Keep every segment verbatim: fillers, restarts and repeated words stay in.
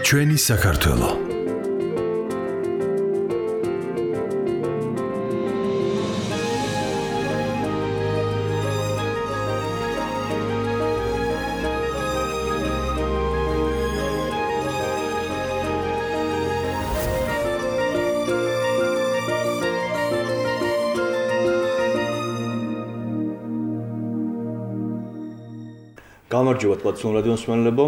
ჩვენი საქართველო. გამარჯობა თვალწინ რადიოს მსმენელებო,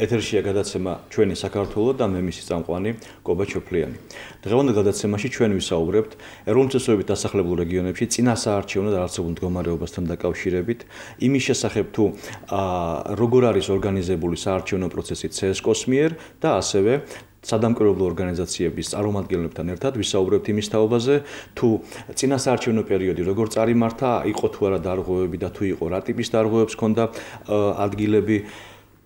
ეთერშია გადაცემა ჩვენი საქართველო და მე მისი წამყვანი კობა ჩოფლიანი. დღევანდელ გადაცემაში ჩვენ ვისაუბრებთ ეროვნული წესრიგით დასახლებულ რეგიონებში წინასაარჩევნო და არჩევნო მდგომარეობასთან დაკავშირებით, იმის შესახებ თუ როგორ არის ორგანიზებული საარჩევნო პროცესი ცესკოს მიერ და ასევე სადამკვირვებლო ორგანიზაციების წარმომადგენლებთან ერთად ვისაუბრებთ იმის თაობაზე, თუ წინასაარჩევნო პერიოდი როგორ წარიმართა, იყო თუ არა დარღვევები და თუ იყო რა ტიპის დარღვევებს ჰქონდა ადგილები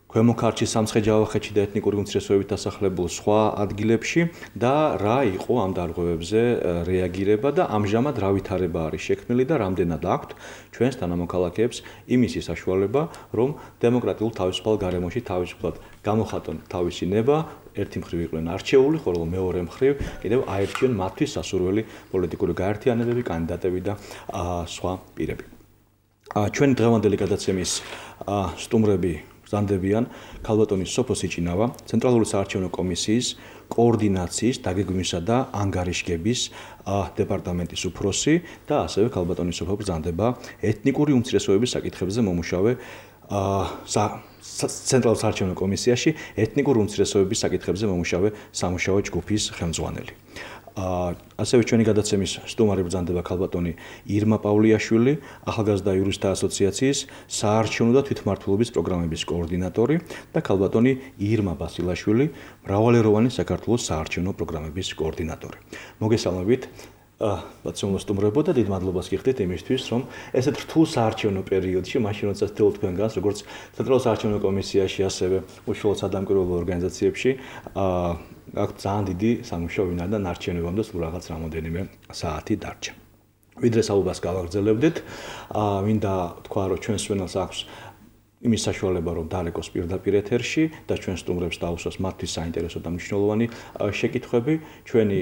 ქვემო ქართლში, სამცხე-ჯავახეთში და ეთნიკური უმცირესობებით დასახლებულ სხვა ადგილებში და რა იყო ამ დარღვევებზე რეაგირება და ამჟამად რა ვითარება არის შექმნილი და რამდენად აქვთ ჩვენს თანამოქალაქეებს იმისი საშუალება, რომ დემოკრატიულ თავისუფალ გარემოში თავისუფლად გამოხატონ თავისი ნება, ერთი მხრივ იყვნენ არჩეული, ხოლო მეორე მხრივ კიდევ აერჩიონ მათთვის სასურველი პოლიტიკური გაერთიანებები, კანდიდატები და სხვა პირები. ჩვენი დღევანდელი გადაცემის სტუმრები ზანდებიან ქალბატონი სოფო სიჭინავა, ცენტრალური საარჩევნო კომისიის კოორდინაციის, დაგეგმვისა და ანგარიშგების დეპარტამენტის უფროსი და ასევე ქალბატონი სოფო ბრძანდება ეთნიკური უმცირესობების საკითხებზე მომუშავე ცენტრალურ საარჩევნო კომისიაში ეთნიკური უმცირესობების საკითხებზე მომუშავე სამუშაო ჯგუფის ხელმძღვანელი. ასევე ჩვენი გადაცემის სტუმარი ბრძანდება ქალბატონი ირმა პავლიაშვილი, ახალგაზრდა იურისტთა ასოციაციის საარჩევნო და თვითმმართველობის პროგრამების კოორდინატორი და ქალბატონი ირმა ბასილაშვილი, მრავალეროვანი საქართველოს საარჩევნო პროგრამების კოორდინატორი. მოგესალმებით ბაცუმლო სტუმრებო და დიდ მადლობას გიხდით იმისთვის, რომ ესეთ რთულ საარჩევნო პერიოდში, მაშინ როცა თითოეულ თქვენგანს, როგორც ცენტრალურ საარჩევნო კომისიაში, ასევე უშუალოდ სადამკვირვებლო ორგანიზაციებში, აქვთ ძალიან დიდი სამუშაო ვინა და ნარჩენებამდე სულ რაღაც რამოდენიმე საათი დარჩა. ვიდრე საუბარს გავაგრძელებდით, მინდა თქვა, რომ ჩვენს მსმენელს აქვს იმის საშუალება, რომ დაარეკოს პირდაპირ ეთერში და ჩვენ სტუმრებს დაუსვას მათთვის საინტერესო და მნიშვნელოვანი შეკითხვები. ჩვენი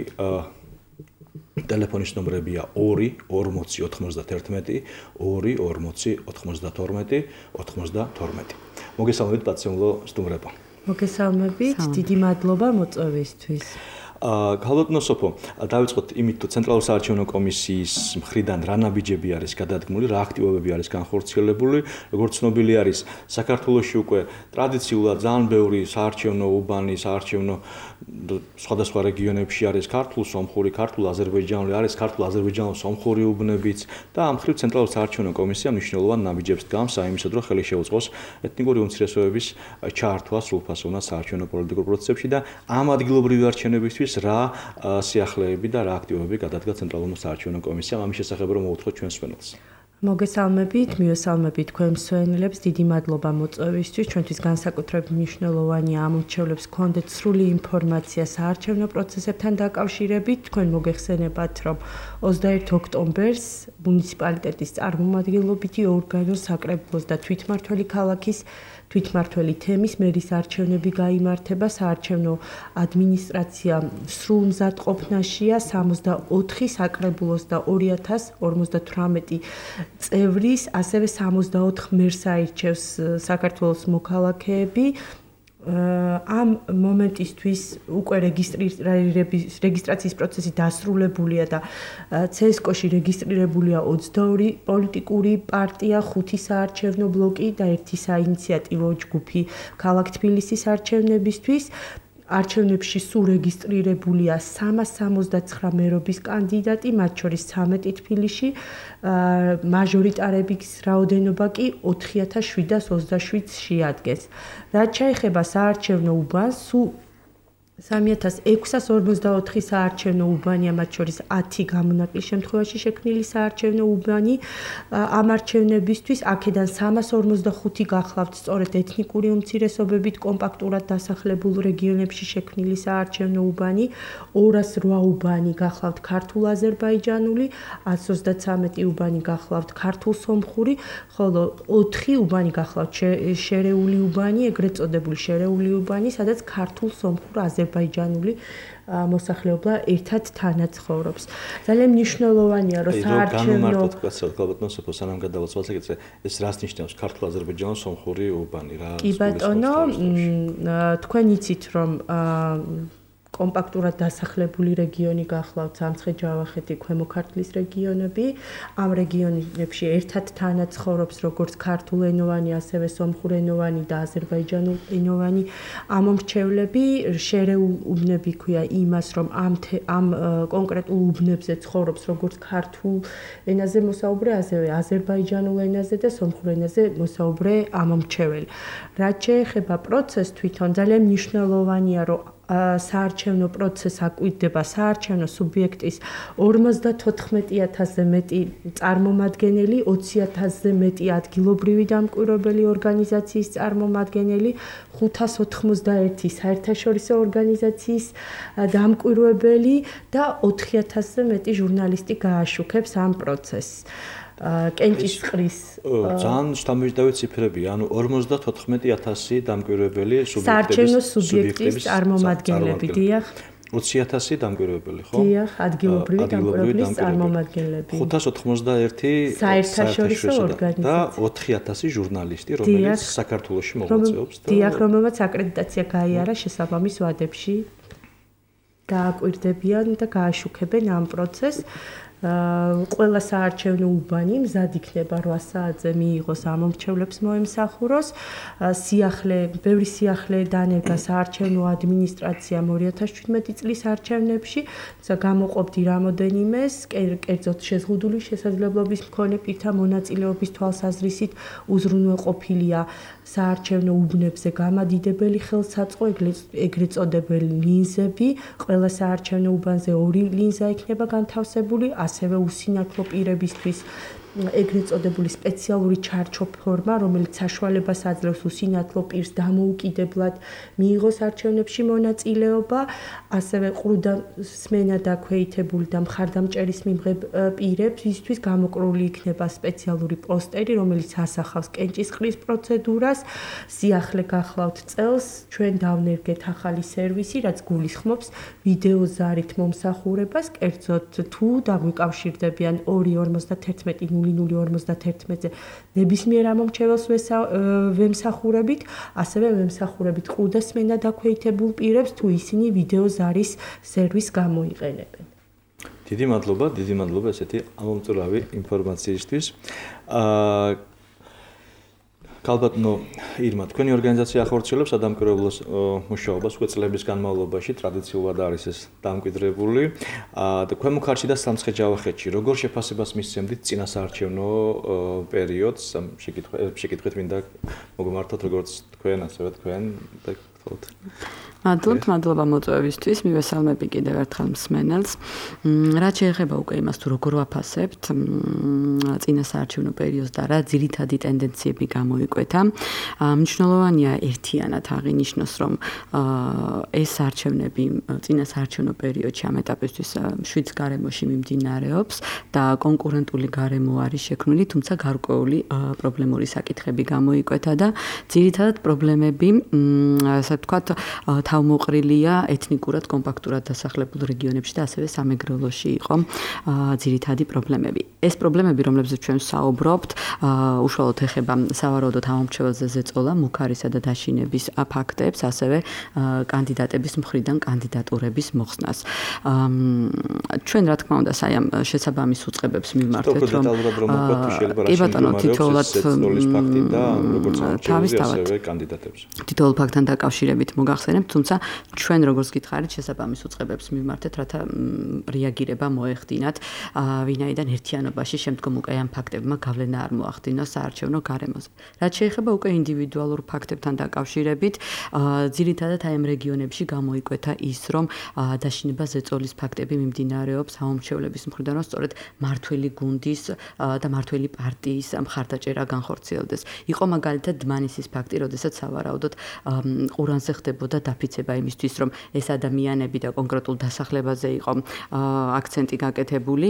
ტელეფონის ნომრებია ორი ორმოცი ოთხმოცდაერთმეტი, ორი ორმოცი ოთხმოცდათორმეტი, ოთხმოცდათორმეტი. მოგესალმებით ბაცემულო სტუმრებო. მოგესალმებით, დიდი მადლობა მოწვევისთვის. ქალბატონო სოფო, დავიწყოთ იმით, თუ ცენტრალურ საარჩევნო კომისიის მხრიდან რა ნაბიჯები არის გადადგმული, რა აქტივობები არის განხორციელებული, როგორც ცნობილი არის, საქართველოში უკვე ტრადიციულად ძალიან ბევრი საარჩევნო უბანი, საარჩევნო სხვადასხვა რეგიონებში არის ქართულ-სომხური, ქართულ-აზერბაიჯანული, არის ქართულ-აზერბაიჯანულ-სომხური უბნებიც და ამ მხრივ ცენტრალურ საარჩევნო კომისია მნიშვნელოვან ნაბიჯებს დგამს აიმისად, რომ ხელი შეუწყოს ეთნიკური უმცირესობების ჩართვა სრულფასოვნად საარჩევნო პოლიტიკურ პროცესებში და ამ ადგილობრივი არჩევნებისთვის რა სიახლეები და რა აქტივობები გადადგა ცენტრალურ საარჩევნო კომისიამ ამის შესახებ რომ მოვუთხოთ ჩვენს მსმენელს. მოგესალმებით, მივესალმებით თქვენ მსმენელებს, დიდი მადლობა მოწვევისთვის. ჩვენთვის განსაკუთრებით მნიშვნელოვანია ამ მრჩევლებს გქონდეთ სრული ინფორმაცია საარჩევნო პროცესებთან დაკავშირებით. თქვენ მოგეხსენებათ, რომ ოცდაერთი ოქტომბერს მუნიციპალიტეტის წარმომადგენლობითი ორგანოს საკრებულოს და თვითმმართველი ქალაქის თვითმმართველი თემის მერის არჩევნები გაიმართება. საარჩევნო ადმინისტრაცია სრულ მზადყოფნაშია სამოცდაოთხი საკრებულოს და ორი ათას ორმოცდათვრამეტი წევრის, ასევე სამოცდაოთხ მერს აირჩევს საქართველოს მოქალაქეები. ამ მომენტისთვის უკვე რეგისტრაციის პროცესი დასრულებულია და ცესკოში რეგისტრირებულია ოცდაორი პოლიტიკური პარტია, ხუთი საარჩევნო ბლოკი და ერთი საინიციატივო ჯგუფი ქალაქ თბილისის არჩევნებისთვის. არჩევნებში სულ რეგისტრირებულია სამას სამოცდაცხრა მერობის კანდიდატი, მათ შორის ცამეტი თბილისში, მაჟორიტარების რაოდენობა კი ოთხი ათას შვიდას ოცდაშვიდს შეადგენს. რაც შეეხება საარჩევნო უბანს, სულ სამი ათას ექვსას ორმოცდაოთხი საარჩევნო უბანია, მათ შორის ათი გამონაკლის შემთხვევაში შექმნილი საარჩევნო უბანი. ამ არჩევნებისთვის აქედან სამას ორმოცდახუთი გახლავთ სწორედ ეთნიკური უმცირესობებით კომპაქტურად დასახლებულ რეგიონებში შექმნილი საარჩევნო უბანი, ორას რვა უბანი გახლავთ ქართულ-აზერბაიჯანული, ათს ოცდათვრამეტი უბანი გახლავთ ქართულ-სომხური, ხოლო ოთხი უბანი გახლავთ შერეული უბანი, ეგრეთ წოდებული შერეული უბანი, სადაც ქართულ-სომხურ აზერბაიჯანული მოსახლეობა ერთად თანაცხოვრობს. ძალიან მნიშვნელოვანია, რომ საარჩევნო განმარტოთ კაცად, ალბათ მოსოფო სანამ გადავაცვალოთ ეგეც ეს რას ნიშნავს ქართულ-აზერბაიჯანულ სომხური უბანი რა? კი ბატონო, თქვენ იცით რომ კომპაქტურად დასახლებული რეგიონი გახლავთ სამცხე-ჯავახეთი, ქვემო ქართლის რეგიონები. ამ რეგიონებში ერთად თანაცხოვრობს როგორც ქართულენოვანი, ასევე სომხურენოვანი და აზერბაიჯანულენოვანი ამომრჩევლები. შერეულ უბნები ქვია იმას, რომ ამ ამ კონკრეტულ უბნებზე ცხოვრობს როგორც ქართულ ენაზე მოსაუბრე, ასევე აზერბაიჯანულ ენაზე და სომხურ ენაზე მოსაუბრე ამომრჩეველი. რაც შეეხება პროცესს თვითონ, ძალიან მნიშვნელოვანია, რომ საარჩევნო პროცესს აკვირდება საარჩევნო სუბიექტის ორმოცდათოთხმეტი ათასზე მეტი წარმომადგენელი, ოცი ათასზე მეტი ადგილობრივი დამკვირვებელი ორგანიზაციის წარმომადგენელი, ხუთას ოთხმოცდაერთი საერთაშორისო ორგანიზაციის დამკვირვებელი და ოთხი ათასზე მეტი ჟურნალისტი გააშუქებს ამ პროცესს. კენჭისყრის ძალიან შთამბეჭდავი ციფრებია, ანუ ორმოცდათოთხმეტი ათასი დამკვირვებელი საარჩევნო სუბიექტის წარმომადგენლები, დიახ. ოცი ათასი დამკვირვებელი, ხო? დიახ, ადგილობრივი დამკვირვებლის წარმომადგენლები. ხუთას ოთხმოცდაერთი საერთაშორისო ორგანიზაცია და ოთხი ათასი ჟურნალისტი, რომელიც საქართველოში მოღვაწეობს და დიახ, რომელმაც აკრედიტაცია გაიარა შესაბამის ვადებში. გააკვირდებიან და გააშუქებენ ამ პროცესს. ყველა საარჩევნო უბანი მზად იქნება რვა საათზე მიიღოს ამომრჩევლებს მოემსახუროს. სიახლე, ბევრი სიახლე დანერგა საარჩევნო ადმინისტრაციამ ორი ათას შვიდმეტი წლის არჩევნებში, გამოყოფდი რამოდენიმეს, კერძოდ შეზღუდული შესაძლებლობის მქონე პირთა მონაწილეობის თვალსაზრისით უზრუნველყოფილია საარჩევნო უბნებზე გამადიდებელი ხელსაწყო, ეგრეთ წოდებული ლინზები. ყველა საარჩევნო უბანზე ორი ლინზა იქნება განთავსებული, ასევე უსინათლო პირებისთვის ეგრეთ წოდებული სპეციალური ჩარჩო ფორმა, რომელიც საშუალებას აძლევს უსინათლო პირს დამოუკიდებლად მიიღოს არჩევნებში მონაწილეობა, ასევე ყრუდა სმენა დაქვეითებული და მხარდამჭერის მიმღებ პირებს, ისთვის გამოკრული იქნება სპეციალური პოსტერი, რომელიც ასახავს კენჭისყრის პროცედურას. სიახლე გახლავთ წელს, ჩვენ დავნერგეთ ახალი სერვისი, რაც გულისხმობს ვიდეოზარით მომსახურებას, კერძოდ თუ დაგვიკავშირდებიან ორი ორმოცდათერთმეტი ნული ნული ორმოცდათერთმეტზე ნებისმიერ ამომრჩეველს ვემსახურებით, ასევე ვემსახურებით ყრუდა სმენა დაქვეითებულ პირებს, თუ ისინი ვიდეოზარის სერვისს გამოიყენებენ. დიდი მადლობა, დიდი მადლობა ესეთი ამომწურავი ინფორმაციისთვის. აა ალბათნო ირმა, თქვენი ორგანიზაცია ახორციელებს სადამკვირვებლო მუშაობას უკვე წლების განმავლობაში, ტრადიციულად არის ეს დამკვიდრებული. და ქვემო ქართლში და სამცხე-ჯავახეთში როგორ შეფასებას მისცემდით წინა საარჩევნო პერიოდს? შეკითხვით მინდა მოგმართოთ როგორც თქვენ, ასევე თქვენ და გთხოვთ. მადლობთ, მადლობა მოწვევისთვის, მივესალმები კიდევ ერთხელ მსმენელს. რაც შეეხება უკვე იმას, თუ როგორ ვაფასებთ წინა საარჩევნო პერიოდს და რა ძირითადი ტენდენციები გამოიკვეთა. მნიშვნელოვანია ერთიანად აღინიშნოს, რომ ეს არჩევნები წინა საარჩევნო პერიოდში ამ ეტაპისთვის შვიდ გარემოში მიმდინარეობს და კონკურენტული გარემო არის შექმნილი, თუმცა გარკვეული პრობლემური საკითხები გამოიკვეთა და ძირითადად პრობლემები, ასე ვთქვათ, თავმოყრილია ეთნიკურად კომპაქტურად დასახლებულ რეგიონებში და ასევე სამეგრელოში იყო ძირითადი პრობლემები. ეს პრობლემები, რომლებზეც ჩვენ ვსაუბრობთ, უშუალოდ ეხება სავარაუდოდ ამომრჩეველზე ზეწოლა, მუქარისა და დაშინების ფაქტებს, ასევე კანდიდატების მხრიდან კანდიდატურების მოხსნას. ჩვენ რა თქმა უნდა, საამ შესაბამის უწყებებს მივმართეთ, რომ კი ბატონო, თითოეულად თავისთავად კანდიდატებს. თითოეულ ფაქტთან დაკავშირებით მოგახსენებთ, თუმცა თუმცა ჩვენ როგორც გითხარით შესაბამის უწყებებს მიმართეთ, რათა რეაგირება მოეხდინათ, ვინაიდან ერთიანობაში შემდგომ უკვე ამ ფაქტებმა გავლენა არ მოახდინოს საარჩევნო გარემოზე. რაც შეეხება უკვე ინდივიდუალურ ფაქტებთან დაკავშირებით, ძირითადად აი ამ რეგიონებში გამოიკვეთა ის, რომ დაშინება ზეწოლის ფაქტები მიმდინარეობს საომრჩევლების მხრიდან, რომ სწორედ მართველი გუნდის და მართველი პარტიის მხარდაჭერა განხორციელდეს. იყო მაგალითად დმანისის ფაქტი, როდესაც სავარაუდოდ ყურანზე ხდებოდა დაფიცება იმისთვის, რომ ეს ადამიანები და კონკრეტულ დასახლებაზე იყო აქცენტი გაკეთებული,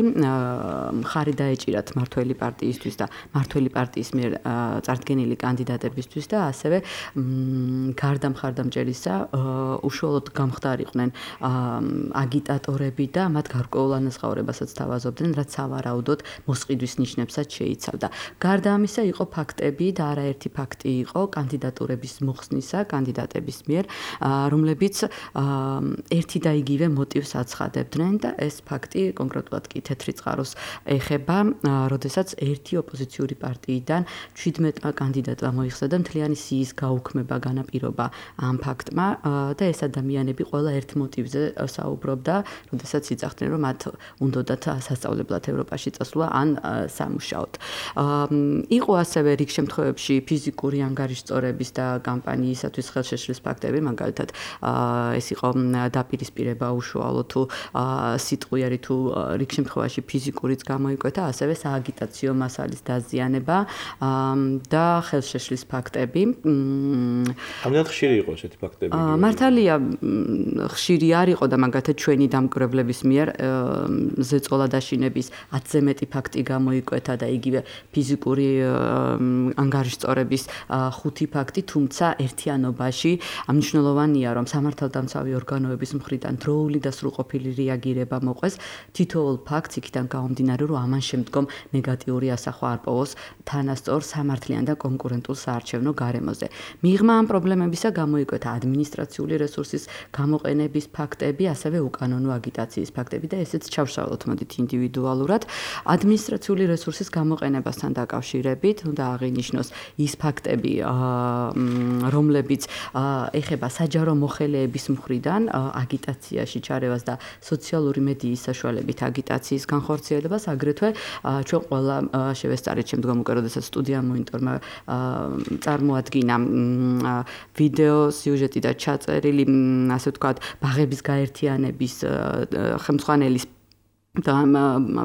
მხარი დაეჭირათ მართველი პარტიისთვის და მართველი პარტიის მიერ წარდგენილი კანდიდატებისთვის და ასევე გარდა მხარდამჭერისა უშუალოდ გამხდარიყვნენ აგიტატორები და მათ გარკვეულ ანაზღაურებასაც თავაზობდნენ, რაც სავარაუდოდ მოსყიდვის ნიშნებსაც შეიცავდა. გარდა ამისა იყო ფაქტები და არაერთი ფაქტი იყო კანდიდატურების მოხსნისა კანდიდატების მიერ, რომლებიც ერთი და იგივე მოტივს აცხადებდნენ და ეს ფაქტი კონკრეტულად კი თეთრი წყაროს ეხება, როდესაც ერთი ოპოზიციური პარტიიდან ჩვიდმეტ კანდიდატმა მოიხსნა და მთლიანი სიის გაუქმება განაპირობა ამ ფაქტმა და ეს ადამიანები ყველა ერთ მოტივზე საუბრობდა, როდესაც იცახდნენ, რომ მათ უნდათ სასწავლებლად ევროპაში წასვლა ან სამუშაოდ. იყო ასევე რიგ შემთხვევებში ფიზიკური ანგარიშწორების და კამპანიისათვის ხელშეშლის ფაქტები, მაგალითად ეს იყო დაპირისპირება უშუალო თუ სიტყვიერი თუ რიგ შემთხვევაში ფიზიკურიც გამოიკვეთა, ასევე სააგიტაციო მასალის დაზიანება და ხელშეშლის ფაქტები. ამდენად ხშირი იყო ესეთი ფაქტები? მართალია ხშირი არ იყო და მაგალითად ჩვენი დამკვირვებლების მიერ ზეწოლა დაშინების ათზე მეტი ფაქტი გამოიკვეთა და იგივე ფიზიკური ანგარიშწორების ხუთი ფაქტი, თუმცა ერთიანობაში მნიშვნელოვანია, რომ სამართალდამცავი ორგანოების მხრიდან დროული და სრულყოფილი რეაგირება მოყვეს თითოეულ ფაქტს იქიდან გამომდინარე, რომ ამან შემდგომ ნეგატიური ასახვა არ პოვოს თანასწორ სამართლიან და კონკურენტულ საარჩევნო გარემოზე. მიღმა ამ პრობლემებისა გამოიკვეთა ადმინისტრაციული რესურსის გამოყენების ფაქტები, ასევე უკანონო აგიტაციის ფაქტები და ესეც ჩავშალოთ მოდით ინდივიდუალურად. ადმინისტრაციული რესურსის გამოყენებასთან დაკავშირებით უნდა აღინიშნოს ის ფაქტები, რომლებიც ეხება საჯარო მოხელეების მხრიდან აგიტაციაში ჩარევას და სოციალური მედიის საშუალებით აგიტაციის განხორციელებას, აგრეთვე ჩვენ ყველა შევესწარეთ შემდგომ უკვე როდესაც სტუდია მონიტორმა წარმოადგინა ვიდეო სიუჟეტი და ჩაწერილი, ასე ვთქვათ, ბაღების გაერთიანების ხელმძღვანელის და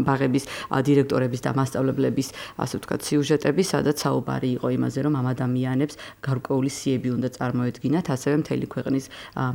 ბაღების დირექტორების და მასწავლებლების, ასე ვთქვათ, სიუჟეტები, სადაც საუბარი იყო იმაზე, რომ ამ ადამიანებს გარკვეული სიები უნდა წარმოედგინათ, ასევე მთელი ქვეყნის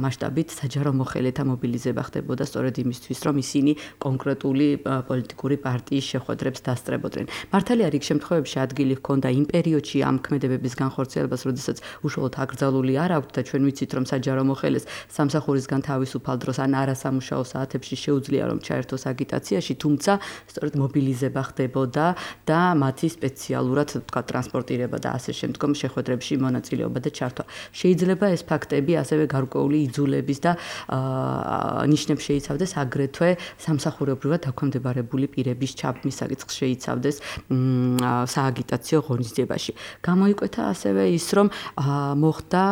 მასშტაბით საჯარო მოხელეთა მობილიზება ხდებოდა სწორედ იმისთვის, რომ ისინი კონკრეტული პოლიტიკური პარტიის შეხვედრებს დასწრებოდნენ. მართალია რიგ შემთხვევებში ადგილი ჰქონდა იმ პერიოდში ამ ქმედებების განხორციელებას, როდესაც უშუალოდ აკრძალული არ აქვთ და ჩვენ ვიცით, რომ საჯარო მოხელეს სამსახურისგან თავისუფალ დროს ან არასამუშაო საათებში შეუძლია რომ ჩაერთოს აგიტაციაში, თუმცა სწორედ მობილიზება ხდებოდა და მათი სპეციალურად თქვა ტრანსპორტირება და ასე შემდგომ შეხვედრებში მონაწილეობა და ჩართვა. შეიძლება ეს ფაქტები ასევე გარკვეული იძულების და ნიშნებს შეიცავდეს, აგრეთვე სამსახურებრივად დაქვემდებარებული პირების ჩაბმის საკითხს შეიცავდეს სააგიტაციო ღონისძიებაში. გამოიკვეთა ასევე ის, რომ მოხდა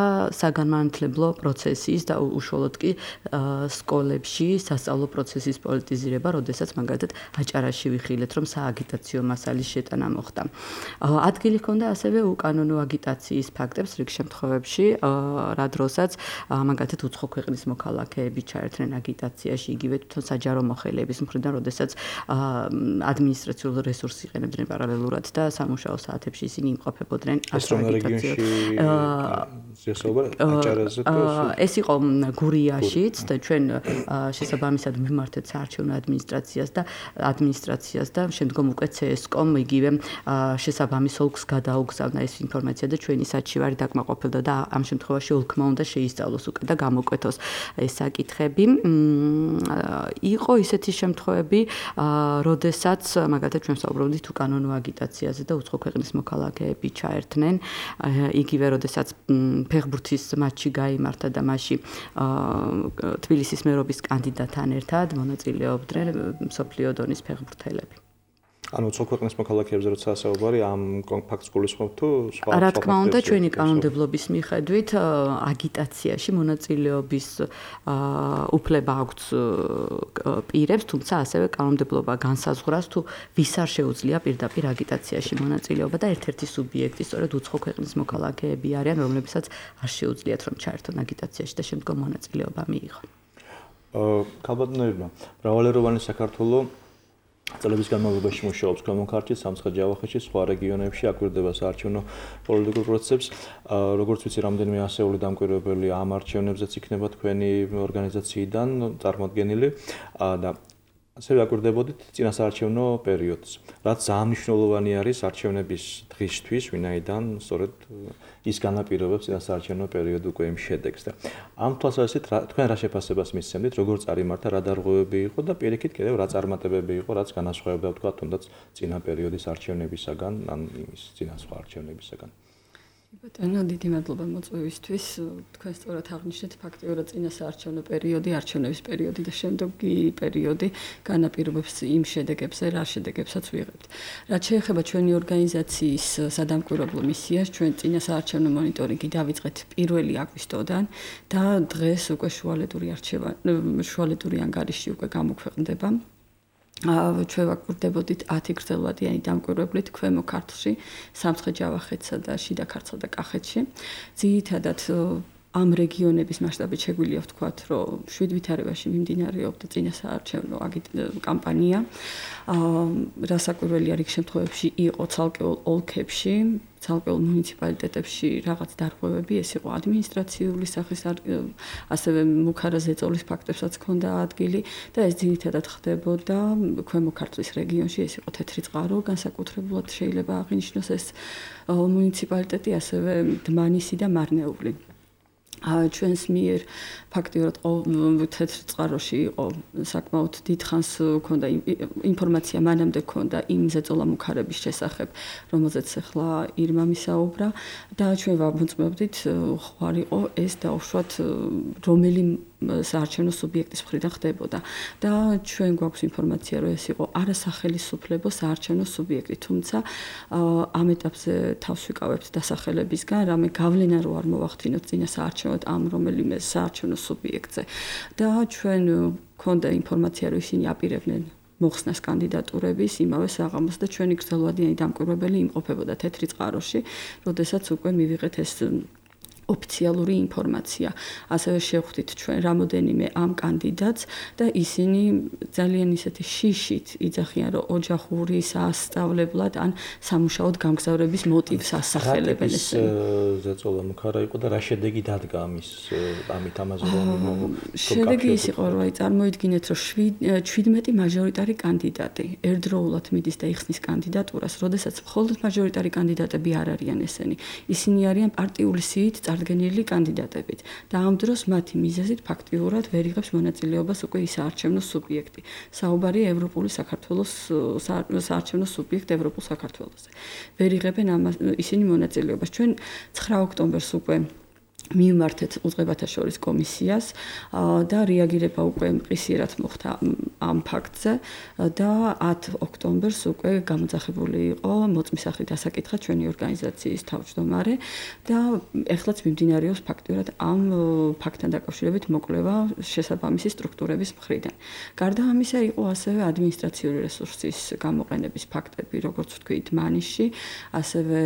საგანმანათლებლო პროცესის და უშუალოდ კი სკოლებში სასწავლო პროცესის პოლიტიზირება, როდესაც მაგალითად აჭარაში ვიხილეთ, რომ სააგიტაციო მასალის შეტანა მოხდა. ადგილი ჰქონდა ასევე უკანონო აგიტაციის ფაქტებს რიგ შემთხვევებში, რა დროსაც მაგალითად უცხო ქვეყნის მოქალაქეები ჩაერთნენ აგიტაციაში, იგივე თვითონ საჯარო მოხელეების მხრიდან, როდესაც ადმინისტრაციულ რესურსს იყენებდნენ პარალელურად და სამუშაო საათებში ისინი იმყოფებოდნენ აგიტაციო. ეს იყო გურიაშიც და ჩვენ შესაბამისად მიმართეთ საარჩევნო ადმინისტრაციას და ადმინისტრაციას და შემდგომ უკვე ცსკომ იგივე შესაბამის ოლქს გადაუგზავნა ეს ინფორმაცია და ჩვენი საჩივარი დაკმაყოფილდა და ამ შემთხვევაში ოლქმა უნდა შეისწავლოს უკვე და გამოკვეთოს ეს საკითხები. იყო ისეთი შემთხვევები, როდესაც მაგალითად ჩვენ საუბრობდით უკანონო აგიტაციაზე და უცხო ქვეყნის მოქალაქეები ჩაერთნენ, იგივე როდესაც ფეხბურთის მატჩი გაიმართა და მასში თბილისის მერობის კანდიდატთან ერთად მონაწილეობდნენ მსოფლიო დონის ფეხბურთელები. ანუ უცხო ქვეყნის მოქალაქეებზე როცა საუბარი ამ ფაქტს გულისხმობთ თუ სხვა რა თქმა უნდა ჩვენი კანონმდებლობის მიხედვით აგიტაციაში მონაწილეობის უფლება აქვს პირებს, თუმცა ასევე კანონმდებლობა განსაზღვრავს თუ ვის არ შეუძლია პირდაპირ აგიტაციაში მონაწილეობა და ერთ-ერთი სუბიექტი სწორედ უცხო ქვეყნის მოქალაქეები არიან, რომლებსაც არ შეუძლიათ რომ ჩაერთონ აგიტაციაში და შემდგომ მონაწილეობა მიიღონ. ქალბატონებმა, მრავალეროვანი საქართველოს წლების განმავლობაში მუშაობს ქვემო ქართლში, სამცხე-ჯავახეთში, სხვა რეგიონებში აკვირდება საარჩევნო პოლიტიკურ პროცესებს. როგორც ვიცი, რამდენიმე ასეული დამკვირვებელი ამ არჩევნებზეც იქნება თქვენი ორგანიზაციიდან წარმოდგენილი და ასევე აკვირდებოდით წინასაარჩევნო პერიოდს. რაც ძალიან მნიშვნელოვანი არის არჩევნების დღისთვის, ვინაიდან სწორედ ის განაპირობებს წინასაარჩევნო პერიოდი უკვე იმ შედეგს და ამ თვალსაზრისით თქვენ რა შეფასებას მისცემთ, როგორ წარიმართა, რა დარღვევები იყო და პირიქით კიდევ რა წარმატებები იყო, რაც განასხვავებდა თქვა თუნდაც წინა პერიოდის არჩევნებისაგან, ან იმის წინა სხვა არჩევნებისაგან. ბატონო, დიდი მადლობა მოწვევისთვის. თქვენ სწორად აღნიშნეთ, ფაქტიურად წინასაარჩევნო პერიოდი, არჩევნების პერიოდი და შემდეგი პერიოდი განაპირობებს იმ შედეგებზე, რა შედეგებსაც ვიღებთ. რაც შეეხება ჩვენი ორგანიზაციის სადამკვირვებლო მისიას, ჩვენ წინასაარჩევნო მონიტორინგი დავიწყეთ პირველი აგვისტოდან და დღეს უკვე შუალედური არჩევა, შუალედური ანგარიში უკვე გამოქვეყნდება. ჩვენ ვაკვირდებოდით ათი გრძელვადიანი დამკვირვებლით ქვემო ქართლში, სამცხე-ჯავახეთსა და შიდა ქართლსა და კახეთში. ძირითადად ამ რეგიონების მასშტაბით შეგვიძლია ვთქვათ, რომ შვიდ ვითარებაში მიმდინარეობდა წინასაარჩევნო კამპანია. რასაკვირველია რიგ შემთხვევებში იყო ცალკეულ ოლქებში, ცალკეულ მუნიციპალიტეტებში რაღაც დარღვევები, ეს იყო ადმინისტრაციული სახის, ასევე მუქარა ზეწოლის ფაქტებსაც ჰქონდა ადგილი და ეს ძირითადად ხდებოდა ქვემო ქართლის რეგიონში, ეს იყო თეთრი წყარო, განსაკუთრებულად შეიძლება აღინიშნოს ეს მუნიციპალიტეტი, ასევე დმანისი და მარნეული. ჩვენს მიერ ფაქტიურად თეთრ წყაროში იყო საკმაოდ დიდხანს ქონდა ინფორმაცია მანამდე ქონდა იმ ზეწოლა მუქარების შესახებ, რომელზეც ახლა ირმა მისაუბრა და ჩვენ ვამოწმებდით ხوار იყო ეს დაუშვათ რომელი საარჩევნო სუბიექტის მხრიდან ხდებოდა და ჩვენ გვაქვს ინფორმაცია, რომ ეს იყო არასახელისუფლებო საარჩევნო სუბიექტი, თუმცა ამ ეტაპზე თავს ვიკავებთ დასახელებისგან, რამე გავლენა რო არ მოვახდინოთ წინასაარჩევნოდ ამ რომელიმე საარჩევნო სუბიექტზე და ჩვენ გვქონდა ინფორმაცია, რომ ისინი აპირებდნენ მოხსნას კანდიდატურების იმავე საღამოს და ჩვენი გრძელვადიანი დამკვირვებელი იმყოფებოდა თეთრი წყაროში, როდესაც უკვე მივიღეთ ეს ოფიციალური ინფორმაცია. ასევე შევხვდით ჩვენ რამოდენიმე ამ კანდიდატს და ისინი ძალიან ისეთი შიშით იძახიან, რომ ოჯახური სასწავლებლად ან სამუშაოდ გამგზავრების მოტივს ასახელებენ ესენი. ზეწოლა მუქარა იყო და რა შედეგი დადგა ამის ამით ამაზე რომ შედეგი ის იყო, რომ აი წარმოიდგინეთ, რომ შვიდმეტი მაჟორიტარი კანდიდატი ერთდროულად მიდის და იხსნის კანდიდატურას, როდესაც მხოლოდ მაჟორიტარი კანდიდატები არ არიან ესენი. ისინი არიან პარტიული სიით წარდგენილი კანდიდატებით და ამ დროს მათი მიზეზით ფაქტიურად ვერ იღებს მონაწილეობას უკვე ის საარჩევნო სუბიექტი. საუბარი ევროპული საქართველოს საარჩევნო სუბიექტ ევროპულ საქართველოზე. ვერ იღებენ ისინი მონაწილეობას. ჩვენ ცხრა ოქტომბერს უკვე მივმართეთ უწყებათა შორის კომისიას და რეაგირება უკვე მყისიერად მოხდა ამ ფაქტზე და ათი ოქტომბერს უკვე გამოძახებული იყო მოწმისახრი დასაკითხად ჩვენი ორგანიზაციის თავმჯდომარე და ეხლაც მიმდინარეობს ფაქტურად ამ ფაქტთან დაკავშირებით მოკვლევა შესაბამისი სტრუქტურების მხრიდან. გარდა ამისა იყო ასევე ადმინისტრაციული რესურსის გამოყენების ფაქტები, როგორც ვთქვით, მანისში, ასევე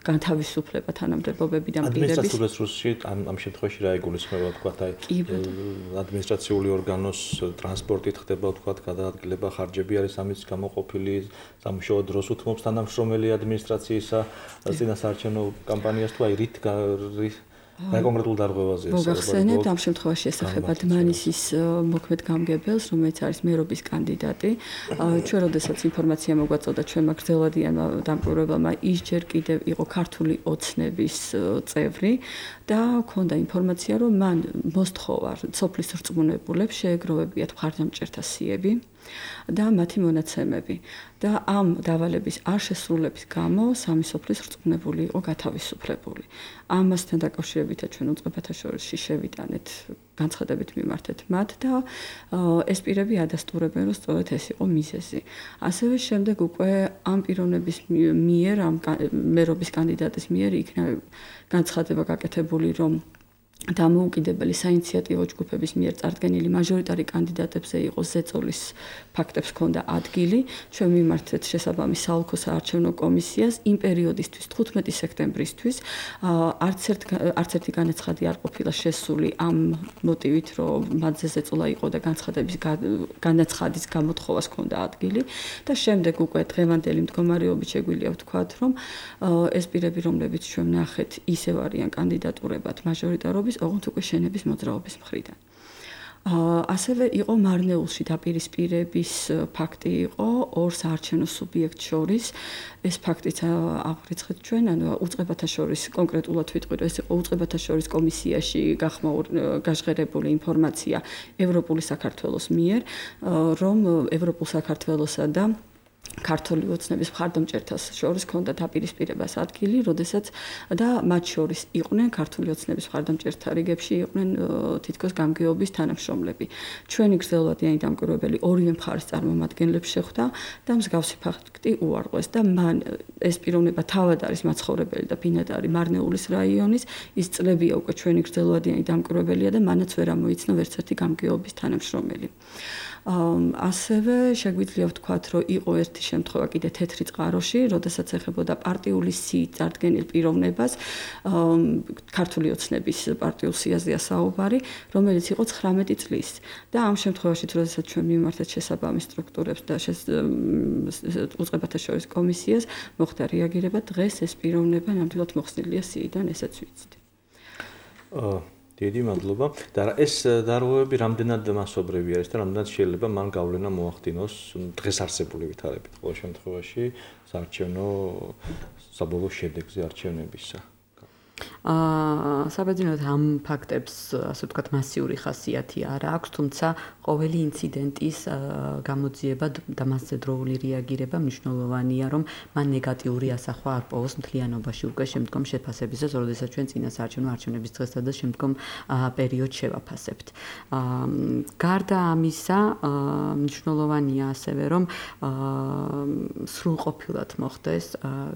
განთავისუფლება თანამდებობები და პირების ამ ამ შემთხვევაში რა იგულისხმება თქვათ აი ადმინისტრაციული ორგანოს ტრანსპორტით ხდება თქვათ გადაადგილება ხარჯები არის ამის გამოყოფილი სამუშაო დროს უთმობს თანამშრომელი ადმინისტრაციისა წინასაარჩევნო კამპანიას თუ აი რით რა კონკრეტულ დარღვევაზეა მოგახსენებთ ამ შემთხვევაში ესახება დმანისის მოქმედ გამგებელს, რომელიც არის მერობის კანდიდატი. ჩვენ როდესაც ინფორმაცია მოგვაწოდა ჩვენმა გრძელვადიანმა დამკვირვებელმა, ის ჯერ კიდევ იყო ქართული ოცნების წევრი და და ქონდა ინფორმაცია, რომ მან მოსთხოვა სოფლის რწმუნებულებს შეეგროვებიათ მხარდამჭერთა სიები და მათი მონაცემები და ამ დავალების არ შესრულების გამო სამი სოფლის რწმუნებული იყო გათავისუფლებული. ამასთან დაკავშირებითაც ჩვენ უწყებათა შორისში შევიტანეთ განცხადებით მიმართეთ მათ და ეს პირები ადასტურებენ, რომ სწორედ ეს იყო მიზეზი. ასევე შემდეგ უკვე ამ პიროვნების მიერ, ამ მერობის კანდიდატის მიერ იქნა განცხადება გაკეთებული, რომ დამოუკიდებელი საინიციატივო ჯგუფების მიერ წარდგენილი მაჟორიტარი კანდიდატებზე იყო ზეწოლის ფაქტებს ჰქონდა ადგილი. ჩვენ მიმართეთ შესაბამის საოლქო საარჩევნო კომისიას იმ პერიოდისთვის თხუთმეტი სექტემბრისთვის არც ერთ არც ერთი განაცხადი არ ყოფილა შესული ამ მოტივით, რომ მათზე ზეწოლა იყო და განცხადების განაცხადის გამოთხოვას ჰქონდა ადგილი და შემდეგ უკვე დღევანდელი მდგომარეობით შეგვიძლია ვთქვათ, რომ ეს პირები, რომლებიც ჩვენ ნახეთ, ისევ არიან კანდიდატურებად მაჟორიტარობის ოღონდ უკვე შენების მოძრაობის მხრიდან. ასევე იყო მარნეულში დაპირისპირების ფაქტი იყო ორ საარჩევნო სუბიექტს შორის. ეს ფაქტიც აღვიძეთ ჩვენ, ანუ უწყებათა შორის კონკრეტულად ვიტყვი, რომ ეს იყო უწყებათა შორის კომისიაში გაშღერებული ინფორმაცია ევროპული საქართველოს მიერ, რომ ევროპულ საქართველოსა და ქართული ოცნების მხარდამჭერთა შორის ჰქონდა დაპირისპირებას ადგილი, როდესაც და მათ შორის იყვნენ ქართული ოცნების მხარდამჭერთა რიგებში იყვნენ თითქოს გამგეობის თანამშრომლები. ჩვენი გრძელვადიანი დამკვირვებელი ორივე მხარის წარმომადგენლებს შეხვდა და მსგავსი ფაქტი უარყვეს და მან ეს პიროვნება თავად არის მაცხოვრებელი და ბინადარი მარნეულის რაიონის, ის წლებია უკვე ჩვენი გრძელვადიანი დამკვირვებელია და მანაც ვერ ამოიცნო ვერც ერთი გამგეობის თანამშრომელი. ასევე შეგვიძლია ვთქვათ, რომ იყო ერთი შემთხვევა კიდე თეთრი წყაროში, როდესაც ეხებოდა პარტიული სიით წარდგენილ პიროვნებას, ქართული ოცნების პარტიულ სიაზეა საუბარი, რომელიც იყო ცხრამეტი წლის. და ამ შემთხვევაში, როდესაც ჩვენ მიმართეთ შესაბამის სტრუქტურებს და უწყებათა შორის კომისიას, მოხდა რეაგირება, დღეს ეს პიროვნება ნამდვილად მოხსნილია სიიდან, ესაც ვიცით. დიდი მადლობა. და ეს დარღვევები რამდენად მასობრივი არის და რამდენად შეიძლება მან გავლენა მოახდინოს დღეს არსებული ვითარებით ყოველ შემთხვევაში საარჩევნო საბოლოო შედეგზე არჩევნებისა. აა საბერძნოდ ამ ფაქტებს, ასე ვთქვათ, მასიური ხასიათი არ აქვს, თუმცა ყოველი ინციდენტის გამოძიება და მასზე დროული რეაგირება მნიშვნელოვანია, რომ მან ნეგატიური ასახვა არ პოვოს მთლიანობაში უკვე შემდგომ შეფასებისას, როდესაც ჩვენ წინა საარჩევნო არჩევნების დღესა და შემდგომ პერიოდს შევაფასებთ. აა გარდა ამისა, მნიშვნელოვანია ასევე, რომ სრულყოფილად მოხდეს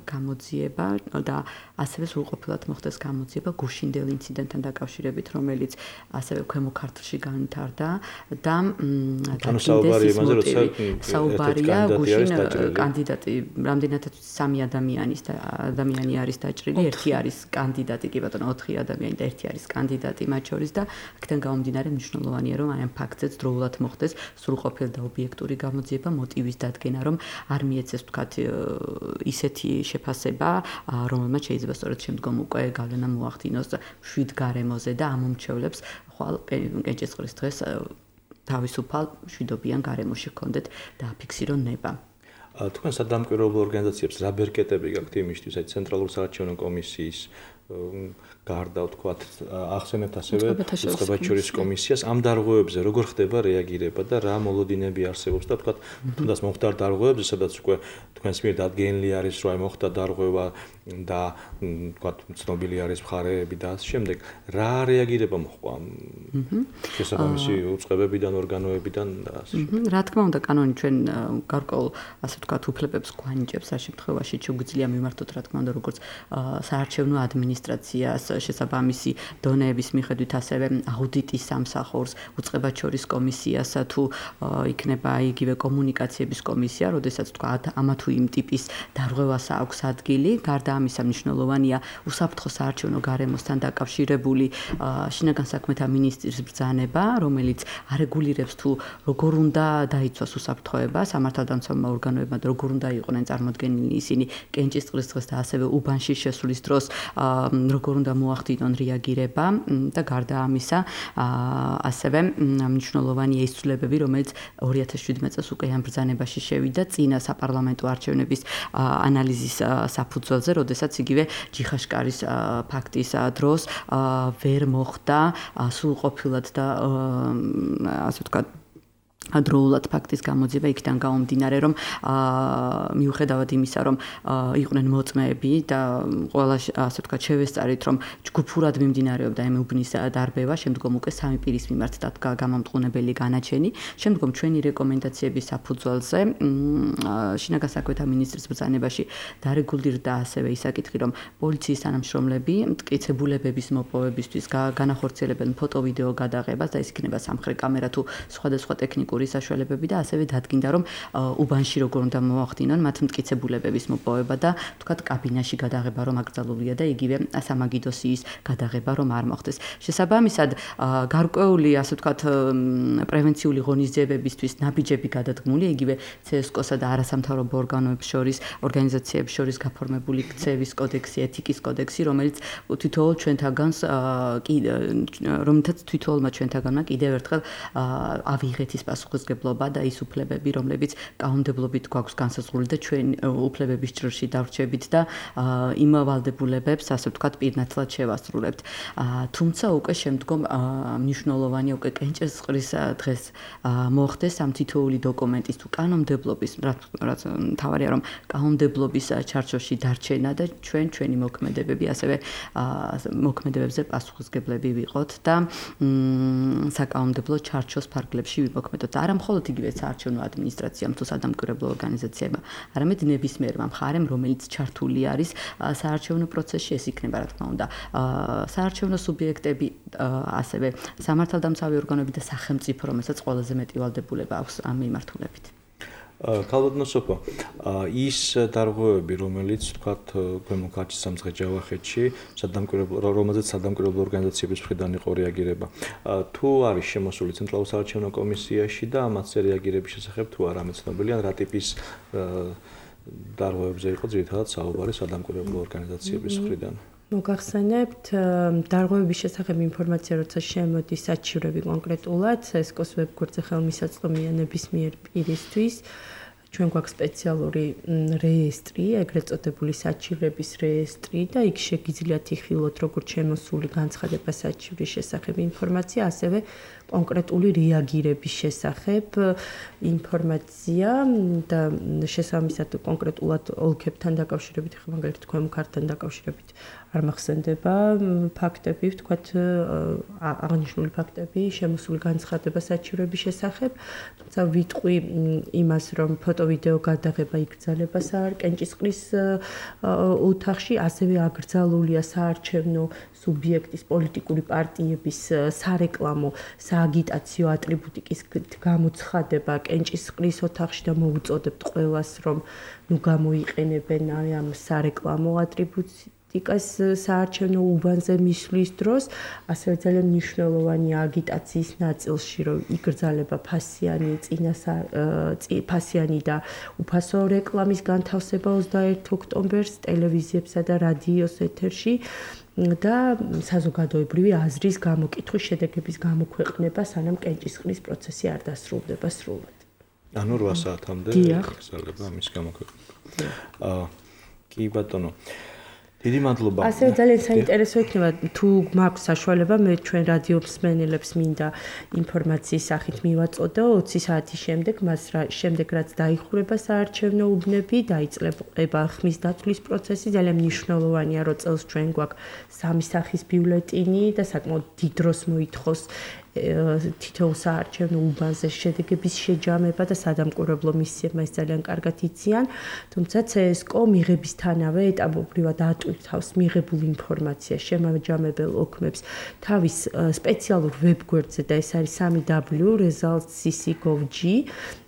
გამოძიება და ასევე სრულყოფილად მოხდეს გამოძიება გუშინდელ ინციდენტთან დაკავშირებით, რომელიც ასევე ქვემო ქართლში განვითარდა და საუბარი იმაზე, როცა საუბარია გუშინ კანდიდატი, რამდენადაც სამი ადამიანის ადამიანი არის დაჭრილი, ერთი არის კანდიდატი, კი ბატონო, ოთხი ადამიანი და ერთი არის კანდიდატი მათ შორის და აქედან გამომდინარე მნიშვნელოვანია, რომ აი ამ ფაქტზეც დროულად მოხდეს სრულყოფილი და ობიექტური გამოძიება, მოტივის დადგენა, რომ არ მიეცეს ვთქვათ ისეთი შეფასება, რომელმაც შეიძლება სწორედ შემდგომ უკვე გავლენა მოახდინოს შვიდ გარემოზე და ამომრჩევლებს ხვალ კენჭისყრის დღეს თავისუფალ შვიდობიან გარემოში ჰქონდეთ დააფიქსირო ნება. თქვენ სადამკვირვებლო ორგანიზაციებს რა ბერკეტები გაქვთ იმისთვის, აი ცენტრალური საარჩევნო კომისიის გარდა ვთქვათ, ახსენებთ ასევე უწყებათა შორის კომისიას ამ დარღვევებზე როგორ ხდება რეაგირება და რა მოლოდინები არსებობს და ვთქვათ, თუნდაც მოხდა დარღვევებზე, სადაც უკვე თქვენს მიერ დადგენილი არის, რომ აი მოხდა დარღვევა და ვთქვათ, ცნობილი არის მხარეები და ასე შემდეგ, რა რეაგირება მოხდა ამ შესაბამისი უწყებებიდან, ორგანოებიდან და ასე შემდეგ. რა თქმა უნდა, კანონი ჩვენ გარკვეულ, ასე ვთქვათ, უფლებებს გვანიჭებს ამ შემთხვევაში, შეგვიძლია მიმართოთ, რა თქმა უნდა, როგორც საარჩევნო ადმინისტრაციას შესაბამისი დონეების მიხედვით ასევე აუდიტის სამსახურს, უწყებათა შორის კომისიას თუ იქნება იგივე კომუნიკაციების კომისია, როდესაც თქვა ამა თუ იმ ტიპის დარღვევას აქვს ადგილი. გარდა ამისა მნიშვნელოვანია უსაფრთხო საარჩევნო გარემოსთან დაკავშირებული შინაგან საქმეთა მინისტრის ბრძანება, რომელიც არეგულირებს თუ როგორ უნდა დაიცვას უსაფრთხოება სამართალდამცავმა ორგანოებმა, როგორ უნდა იყვნენ წარმოდგენილი ისინი კენჭისყრის დღეს და ასევე უბანში შესვლის დროს როგორ უნდა მოახდინონ რეაგირება და გარდა ამისა, ასევე მნიშვნელოვანია ის ცვლილებები, რომელიც ორი ათას შვიდმეტი წელს უკვე ამ ბრძანებაში შევიდა წინა საპარლამენტო არჩევნების ანალიზის საფუძველზე, როდესაც იგივე ჯიხაშკარის ფაქტის დროს ვერ მოხდა სრულყოფილად და ასე ვთქვათ დროულად ფაქტის გამოძიება იქიდან გამომდინარე, რომ მიუხედავად იმისა, რომ იყვნენ მოწმეები და ყველა ასე ვთქვათ შევესწარით, რომ ჯგუფურად მიმდინარეობდა ამ უბნის დარბევა, შემდგომ უკვე სამი პირის მიმართ დადგა გამამტყუნებელი განაჩენი, შემდგომ ჩვენი რეკომენდაციების საფუძველზე შინაგან საქმეთა მინისტრის ბრძანებაში დარეგულირდა ასევე ისაკითხი, რომ პოლიციის თანამშრომლები მტკიცებულებების მოპოვებისთვის განახორციელებენ ფოტო-ვიდეო გადაღებას და ეს იქნება სამხრე კამერა თუ სხვადასხვა ტექნიკური საშუალებები და ასევე დადგინდა, რომ უბანში როგორ უნდა მოახდინონ მათ მტკიცებულებების მოპოვება და თქვათ კაბინაში გადაღება რომ აკრძალულია და იგივე სამაგიდოსიის გადაღება რომ არ მოხდეს. შესაბამისად, გარკვეული ასე ვთქვათ პრევენციული ღონისძიებებისთვის ნაბიჯები გადადგმული, იგივე ცსკო-სა და არასამთავრობო ორგანოებს შორის, ორგანიზაციებს შორის გაფორმებული ქცევის კოდექსი, ეთიკის კოდექსი, რომელიც თითოეულ ჩვენთაგანს რომელთაც თითოეულმა ჩვენთაგანმა კიდევ ერთხელ ავიღეთ ის პასუხისმგებლობა და ის უფლებები, რომლებიც კანონმდებლობით გვაქვს განსაზღვრული და ჩვენ უფლებების ჭრილში დავრჩებით და იმ ვალდებულებებს, ასე ვთქვათ, პირნათლად შევასრულებთ. თუმცა უკვე შემდგომ მნიშვნელოვანია უკვე კენჭისყრის დღეს მოხდეს ამ თითოეული დოკუმენტის თუ კანონმდებლობის, რაც მთავარია, რომ კანონმდებლობის ჩარჩოში დარჩენა და ჩვენ ჩვენი მოქმედებები ასევე მოქმედებებზე პასუხისმგებლები ვიყოთ და საკანონმდებლო ჩარჩოს ფარგლებში ვიმოქმედოთ. არა მხოლოდ იგივე საარჩევნო ადმინისტრაციამ თუ სადამკვირვებლო ორგანიზაციებმა, არამედ ნებისმიერმა მხარემ, რომელიც ჩართული არის საარჩევნო პროცესში, ეს იქნება რა თქმა უნდა საარჩევნო სუბიექტები, ასევე სამართალდამცავი ორგანოები და სახელმწიფო, რომელსაც ყველაზე მეტი ვალდებულება აქვს ამ მიმართულებით. ქალბატონო სოფო, ის დარღვევები, რომელიც თქვათ ქვემო ქართლის სამცხე ჯავახეთში, სადამკვირვებლო, რომელზეც სადამკვირვებლო ორგანიზაციების მხრიდან იყო რეაგირება, თუ არის შემოსული ცენტრალურ საარჩევნო კომისიაში და ამაზე რეაგირების შესახებ თუ არა მეცნობილია, რა ტიპის დარღვევებზე იყო ძირითადად საუბარი სადამკვირვებლო ორგანიზაციების მხრიდან? მოგახსენებთ, დარღვევების შესახებ ინფორმაცია, როცა შემოდის საჩივრები კონკრეტულად, სესკოს ვებგვერდზე ხელმისაწვდომია ნებისმიერ პირისთვის. ჩვენ გვაქვს სპეციალური რეესტრი, ეგრეთ წოდებული საჩივრების რეესტრი და იქ შეგიძლიათ იხილოთ როგორც შემოსული განცხადება საჩივრის შესახებ ინფორმაცია, ასევე კონკრეტული რეაგირების შესახებ ინფორმაცია და შესაბამისად კონკრეტულად ოლქებთან დაკავშირებით, ხა მაგალითად ქვემო ქართლთან დაკავშირებით არ მახსენდება ფაქტები, ვთქვათ, აღნიშნული ფაქტები, შემოსული განცხადება საჩივრების შესახებ, თუმცა ვიტყვი იმას, რომ ფოტო-ვიდეო გადაღება იკრძალება კენჭისყრის ოთახში, ასევე აკრძალულია საარჩევნო სუბიექტის პოლიტიკური პარტიების სარეკლამო სააგიტაციო ატრიბუტიკის გამოცხადება კენჭისყრის ოთახში და მოუწოდებთ ყველას, რომ ნუ გამოიყენებენ ამ სარეკლამო ატრიბუტიკას საარჩევნო უბანზე მისვლის დროს, ასევე ძალიან მნიშვნელოვანია აგიტაციის ნაწილში, რომ იკრძალება ფასიანი წინა ფასიანი და უფასო რეკლამის განთავსება ოცდაერთი ოქტომბერს ტელევიზიებსა და რადიოს ეთერში და საზოგადოებრივი აზრის გამოკითხვის შედეგების გამოქვეყნება, სანამ კენჭისყრის პროცესი არ დასრულდება სრულად. ანუ რვა საათამდე გაგრძელდება ამის გამოქვეყნება. აა კი ბატონო. დიდი მადლობა. ასევე ძალიან საინტერესო იქნება თუ მაქვს საშუალება მე ჩვენ რადიო მსმენელებს მინდა ინფორმაციის სახით მივაწოდო ოცი საათის შემდეგ, მას შემდეგ რაც დაიხურება საარჩევნო უბნები, დაიწყება ხმის დათვლის პროცესი, ძალიან მნიშვნელოვანია, რომ წელს ჩვენ გვაქვს სამი სახის ბიულეტინი და საკმაოდ დიდ დროს მოითხოვს თითოეულ საარჩევნო უბანზე შედეგების შეჯამება და სადამკვირვებლო მისიებმა ეს ძალიან კარგად იციან, თუმცა ცსკო მიღებისთანავე ეტაპობრივად ატვირთავს მიღებულ ინფორმაციას შემაჯამებელ ოქმებს თავის სპეციალურ ვებგვერდზე და ეს არის სამი დაბლიუ results c c dot gov dot g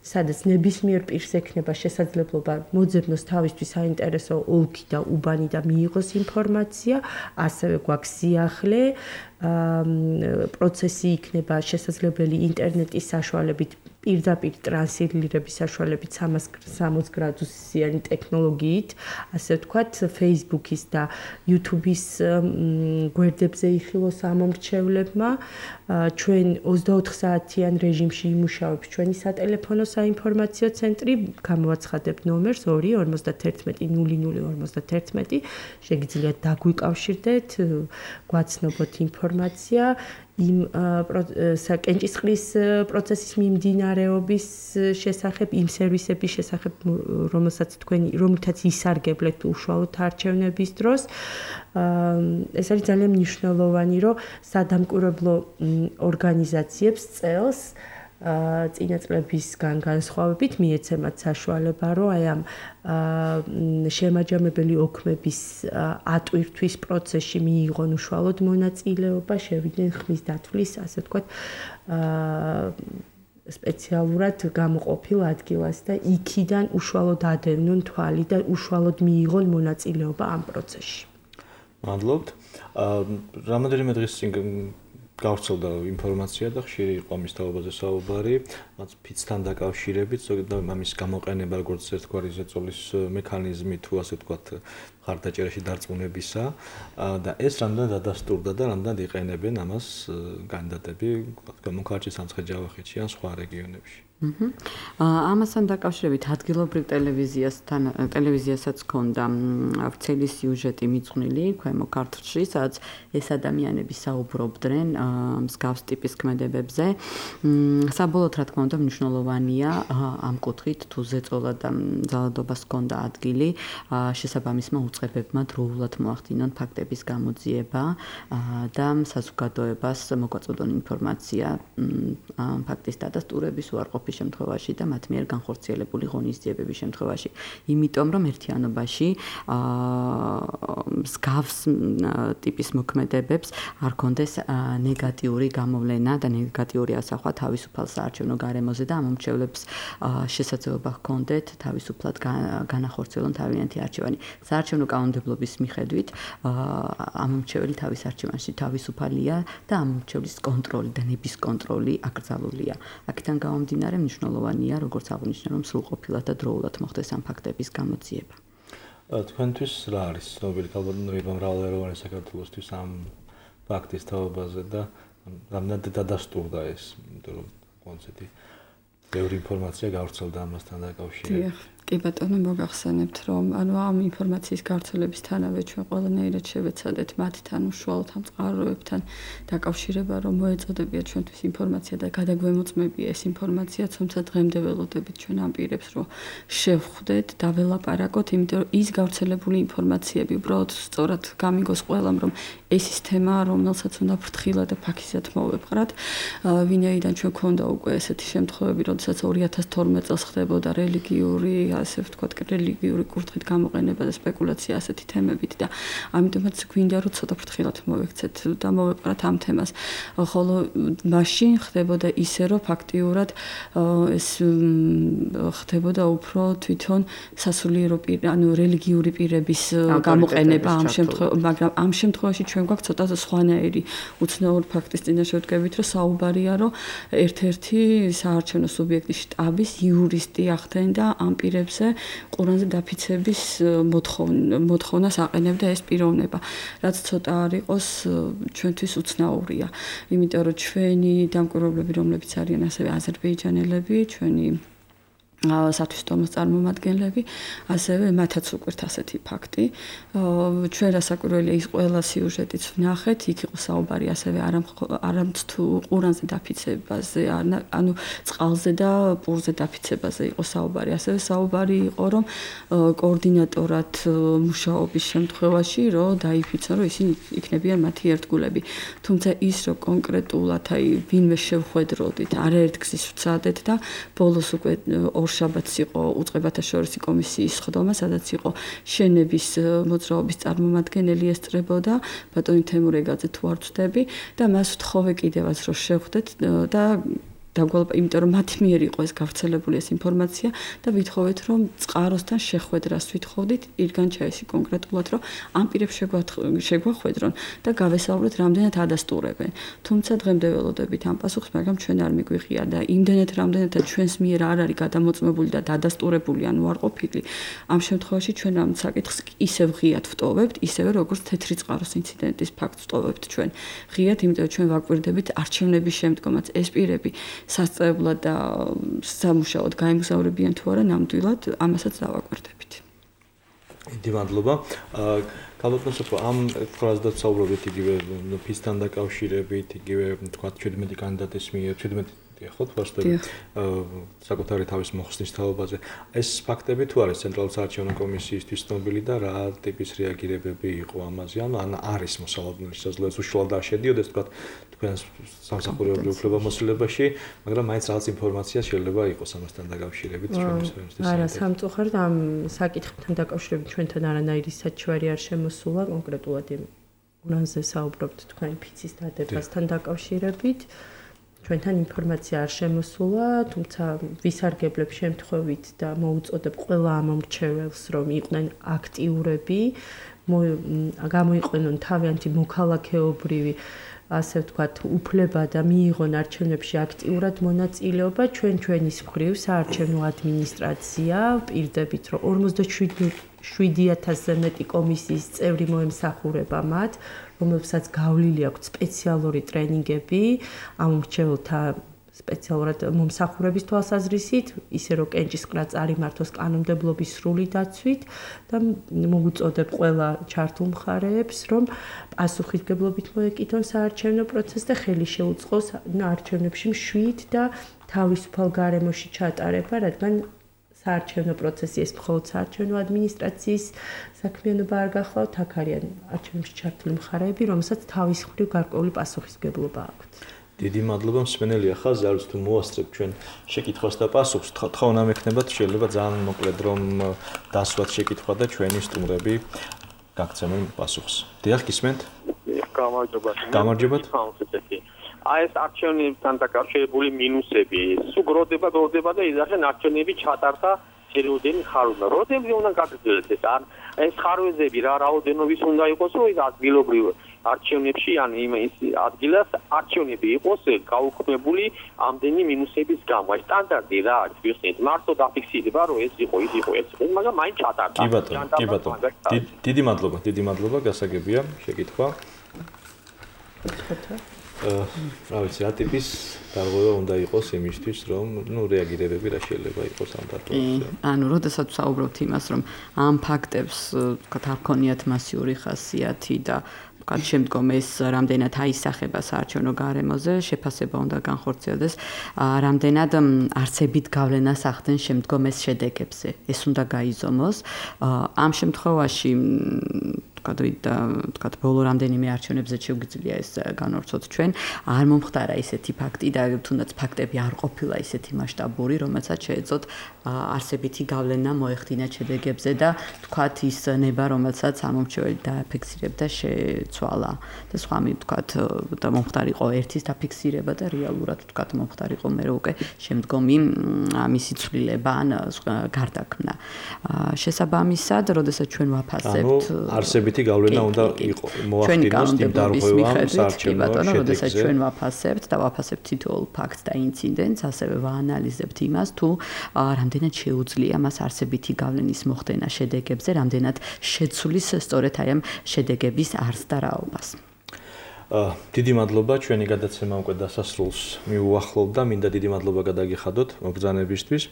სადაც ნებისმიერ პირს ექნება შესაძლებლობა მოძებნოს თავისთვის საინტერესო ოლქი და უბანი და მიიღოს ინფორმაცია, ასევე გვაქვს სიახლე, პროცესი იქნება შესაძლებელი ინტერნეტის საშუალებით პირდაპირ ტრანსილირების საშუალებით სამას სამოცდაშვიდ გრადუსიანი ტექნოლოგიით, ასე ვთქვათ, Facebook-ის და YouTube-ის გვერდებზე იხილოს ამომრჩევლებმა. ჩვენ ოცდაოთხ საათიან რეჟიმში იმუშავებს ჩვენი სატელეფონო საინფორმაციო ცენტრი, გამოვაცხადებთ ნომერს ორი ორმოცდაერთმეტი ნული ნული ორმოცდაერთმეტი, შეგიძლიათ დაგვიკავშირდეთ, გვაცნობოთ ინფორმაცია იმ საკენჭისყრის პროცესის მიმდინარეობის შესახებ, იმ სერვისების შესახებ, რომელსაც თქვენი, რომლითაც ისარგებლეთ უშუალოდ არჩევნების დროს. ეს არის ძალიან მნიშვნელოვანი, რომ სადამკვირვებლო ორგანიზაციებს წელს წინა წლებისგან განსხვავებით მიეცემათ საშუალება, რომ აი ამ შემაჯამებელი ოქმების ატვირთვის პროცესში მიიღონ უშუალოდ მონაწილეობა, შევიდნენ ხმის დათვლის, ასე ვთქვათ, სპეციალურად გამოყოფილ ადგილას და იქიდან უშუალოდ ადევნონ თვალი და უშუალოდ მიიღონ მონაწილეობა ამ პროცესში. მადლობთ. რამოდენიმე დღის წინ გავრცელდა ინფორმაცია და ხშირი იყო ამის თაობაზე საუბარი, მათ ფიცთან დაკავშირებით, ზოგადად ამის გამოყენება როგორც ერთგვარი ზეწოლის მექანიზმი თუ ასე ვთქვათ, მხარდაჭერაში დარწმუნებისა და ეს რამდენად დადასტურდა და რამდენად იყენებენ ამას კანდიდატები, გამონქარჩი სამცხე-ჯავახეთში ან სხვა რეგიონებში. ამასთან დაკავშირებით ადგილობრივ ტელევიზიასთან ტელევიზიასაც ჰქონდა ვრცელი სიუჟეტი მიძღვნილი ქვემო ქართლში, სადაც ეს ადამიანები საუბრობდნენ მსგავს ტიპის ქმედებებზე. საბოლოოდ რა თქმა უნდა მნიშვნელოვანია ამ კუთხით თუ ზეწოლა და ძალადობას ჰქონდა ადგილი, შესაბამისმა უწყებებმა დროულად მოახდინონ ფაქტების გამოძიება და საზოგადოებას მოგვაწოდონ ინფორმაცია ფაქტის დადასტურების უარყოფის შემთხვევაში და მათ მიერ განხორციელებული ღონისძიებების შემთხვევაში. იმიტომ რომ ერთიანობაში მსგავს ტიპის მოქმედებებს არ კონდეს ნეგატიური გამოვლენა და ნეგატიური ასახვა თავისუფალ საარჩევნო გარემოზე და ამომრჩევლებს შესაძლებლობა ჰქონდეთ თავისუფლად განახორციელონ თავიანთი არჩევანი. საარჩევნო კანონმდებლობის მიხედვით ამომრჩეველი თავის არჩევანში თავისუფალია და ამომრჩევლის კონტროლი და ნების კონტროლი აკრძალულია. აქედან გამომდინარე მნიშვნელოვანია, როგორც აღნიშნე, რომ სრულყოფილად და დროულად მოხდეს ამ ფაქტების გამოძიება. თქვენთვის რა არის ცნობილი ქალბატონებმა მრავალეროვანი საქართველოსთვის ამ ფაქტის თაობაზე და რამდენად დადასტურდა ეს, იმიტომ რომ კონცერტი ბევრი ინფორმაცია გავრცელდა ამასთან დაკავშირებით. კი ბატონო, მოგახსენებთ, რომ ანუ ამ ინფორმაციის გავრცელებისთანავე ჩვენ ყველანაირად შევეცადეთ მათთან უშუალოდ ამ წყაროებთან დაკავშირება, რომ მოეწოდებიათ ჩვენთვის ინფორმაცია და გადაგვემოწმებია ეს ინფორმაცია, თუმცა დღემდე ველოდებით ჩვენ ამ პირებს, რომ შევხვდეთ და ველაპარაკოთ, იმიტომ რომ ის გავრცელებული ინფორმაციები უბრალოდ სწორად გამიგოს ყველამ, რომ ეს ის თემა, რომელსაც უნდა ფრთხილად და ფაქიზად მოვეპყრათ. ვინაიდან ჩვენ გვქონდა უკვე ესეთი შემთხვევები, როდესაც ორი ათას თორმეტ წელს ხდებოდა რელიგიური ასე ვთქვათ, რელიგიური კურთხით გამოყენება და სპეკულაცია ასეთი თემებით და ამიტომაც გვინდა რომ ცოტა ფრთხილად მოვექცეთ და მოვეპყრათ ამ თემას. ხოლო მაშინ ხდებოდა ისე, რომ ფაქტიურად ეს ხდებოდა უფრო თვითონ სასულიერო პირ, ანუ რელიგიური პირების გამოყენება ამ შემთხვევაში, მაგრამ ამ შემთხვევაში ჩვენ გვაქვს ცოტა სხვანაირი უცნაური ფაქტის წინაშე ვდგებით, რომ საუბარია, რომ ერთ-ერთი საარჩევნო სუბიექტის შტაბის იურისტი ახდენდა ამ პირებზე ყურანზე დაფიცების მოთხოვნას აყენებდა ეს პიროვნება, რაც ცოტა არ იყოს ჩვენთვის უცნაურია. იმიტომ რომ ჩვენი დამკვირვებლები, რომლებიც არიან ასევე აზერბაიჯანელები, ჩვენი სათვისტომოს წარმომადგენლები, ასევე მათაც უკვირთ ასეთი ფაქტი. ჩვენ რასაკვირველია ის ყველა სიუჟეტიც ვნახეთ, იქ იყო საუბარი ასევე არამც თუ ყურანზე დაფიცებაზე, ანუ წყალზე და პურზე დაფიცებაზე იყო საუბარი. ასევე საუბარი იყო, რომ კოორდინატორად მუშაობის შემთხვევაში, რომ დაიფიცონ, რომ ისინი იქნებიან მათი ერთგულები. თუმცა ის, რომ კონკრეტულად აი ვინმე შევხვედროდით, არაერთგზის ვცადეთ და ბოლოს უკვე შაბათს იყო უწყებათა შორისი კომისიის სხდომა, სადაც იყო შენების მოძრაობის წარმომადგენელი ესწრებოდა ბატონი თემურ ეგაძე თუ არ ვწდები და მას ვთხოვე კიდევაც რომ შევხვდეთ და დაგვალ, იმიტომ რომ მათი მიერ იყო ეს გავრცელებული ეს ინფორმაცია და ვითხოვეთ რომ წყაროსთან შეხვედრას ვითხოვდით ირგან ჩაისი კონკრეტულად რომ ამ პირებს შეგვახვედრონ და გავესაუბროთ რამდენად ადასტურებენ. თუმცა დღემდე ველოდებით ამ პასუხს, მაგრამ ჩვენ არ მიგვიღია და იმდენად რამდენადაც ჩვენს მიერ არ არის გადამოწმებული და დადასტურებული ან უარყოფილი, ამ შემთხვევაში ჩვენ ამ საკითხს ისევ ღიად ვტოვებთ, ისევე როგორც თეთრი წყაროს ინციდენტის ფაქტს ვტოვებთ ჩვენ. ღიად, იმიტომ რომ ჩვენ ვაკვირდებით არჩევნების შემდგომაც ეს პირები სასწრებლად და სამუშაოდ გაემგზავრებიან თუ არა, ნამდვილად ამასაც დავაკვირდებით. დიდი მადლობა. ქალბატონ სოფო, ამ ფრაზას დავსაუბრობთ იგივე ფისთან დაკავშირებით, იგივე თქვა ჩვიდმეტი კანდიდატის მიერ, ჩვიდმეტი ხო თვალსაჩინო საკუთარი თავის მოხსნის თაობაზე. ეს ფაქტები თუ არის ცენტრალური საარჩევნო კომისიისთვის ცნობილი და რა ტიპის რეაგირებები იყო ამაზე? ან არის მოსალოდნელი შესაძლოა უშუალოდ არ შედიოდეს თქვა თქვენ სამსახურეობრივ უფლებამოსილებაში, მაგრამ მაინც რაღაც ინფორმაცია შეიძლება იყოს ამასთან დაკავშირებით ჩვენთვის. არა, სამწუხაროდ ამ საკითხთან დაკავშირებით ჩვენთან არანაირი საჩვარი არ შემოსულა, კონკრეტულად იმ ურანზე საუბრობთ თქვენ ფიცის დადებასთან დაკავშირებით. ჩვენთან ინფორმაცია არ შემოსულა, თუმცა ვისარგებლებ შემთხვევით და მოუწოდებ ყველა ამომრჩეველს, რომ იყვნენ აქტიურები, გამოიყვენონ თავიანთი მოქალაქეობრივი ასე ვთქვათ, უფლება და მიიღონ არჩევნებში აქტიურად მონაწილეობა. ჩვენ ჩვენის მხრივ საარჩევნო ადმინისტრაცია პირდებით, რომ ორმოცდაშვიდი ათასზე მეტი კომისიის წევრი მოემსახურება მათ, რომელსაც გავლილი აქვს სპეციალური ტრენინგები ამ მრჩეველთა სპეციალურად მომსახურების თვალსაზრისით, ისე რომ კენჭისყრა წარიმართოს კანონმდებლობის სრული დაცვით და მოუწოდებ ყველა ჩართულ მხარეებს, რომ პასუხისმგებლობით მოეკიდონ საარჩევნო პროცესს და ხელი შეუწყოს არჩევნებში მშვიდ და თავისუფალ გარემოში ჩატარება, რადგან საარჩევნო პროცესი ეს მხოლოდ საარჩევნო ადმინისტრაციის საქმიანობა არ გახლავთ, აქ არიან არჩევნებში ჩართული მხარეები, რომელსაც თავის მხრივ გარკვეული პასუხისმგებლობა აქვთ. დიდი მადლობა მსმენელია ხაზი, არის თუ მოასწრებ ჩვენ შეკითხვას და პასუხს. თხოვნა მექნება შეიძლება ძალიან მოკლედ რომ დასვათ შეკითხვა და ჩვენი სტუმრები გაგცემენ პასუხს. დიახ, გისმენთ? გამარჯობა. გამარჯობათ. აი ეს არჩევნებთან დაკავშირებული მინუსები, სულ გროდება, გროდება და იძახენ არჩევნები ჩატარდა სერიოზული ხარვნა. როდემდე უნდა გაგრძელდეს ეს არ ეს ხარვეზები რა რაოდენობის უნდა იყოს, რომ ის ადგილობრივ არჩევნებში ან იმ ადგილას არჩევნები იყოს გაუქმებული ამდენი მინუსების გამო. ეს სტანდარტი რა არის, ვიხსენით, მარტო დაფიქსირება, რომ ეს იყო, ის იყო, ეს იყო, მაგრამ მაინც ჩატარდა. კი ბატონო, კი ბატონო. დიდი მადლობა, დიდი მადლობა, გასაგებია შეკითხვა. რა ვიცი, რა ტიპის დარღვევა უნდა იყოს იმისთვის, რომ ნუ რეაგირებები რა შეიძლება იყოს ამ დარღვევაზე. ანუ, როდესაც საუბრობთ იმას, რომ ამ ფაქტებს, თქვათ, არ ქონიათ მასიური ხასიათი და თქვათ, შემდგომ ეს რამდენად აისახება საარჩევნო გარემოზე, შეფასება უნდა განხორციელდეს, რამდენად არსებით გავლენას ახდენ შემდგომ ეს შედეგებზე. ეს უნდა გაიზომოს. ამ შემთხვევაში თქვათ, ბოლო რამდენიმე არჩევნებზე შეგვიძლია ეს განვავრცოთ ჩვენ, არ მომხდარა ისეთი ფაქტი და თუნდაც ფაქტები არ ყოფილა ისეთი მასშტაბური, რომელსაც შეეძლოთ არსებითი გავლენა მოეხდინათ შედეგებზე და თქვათ ის ნება, რომელსაც ამომრჩეველი დააფიქსირებდა, შეცვალა. და სხვა მი თქვათ და მომხდარიყო ერთის დაფიქსირება და რეალურად თქვათ მომხდარიყო მე უკვე შემდგომი მისი ცვლილება ან გარდაქმნა. შესაბამისად, როდესაც ჩვენ ვაფასებთ არსებითი გავლენა უნდა იყოს მოახდინოს იმ დარღვევამ საარჩევნო შედეგზე. როდესაც ჩვენ ვაფასებთ და ვაფასებთ თითოეულ ფაქტს და ინციდენტს, ასევე ვაანალიზებთ იმას, თუ რამდენად შეუძლია მას არსებითი გავლენის მოხდენა შედეგებზე, რამდენად შეცვლის სწორედ აი ამ შედეგების არსს და რაობას. დიდი მადლობა, ჩვენი გადაცემა უკვე დასასრულს მიუახლოვდა. მინდა დიდი მადლობა გადაგიხადოთ მობრძანებისთვის,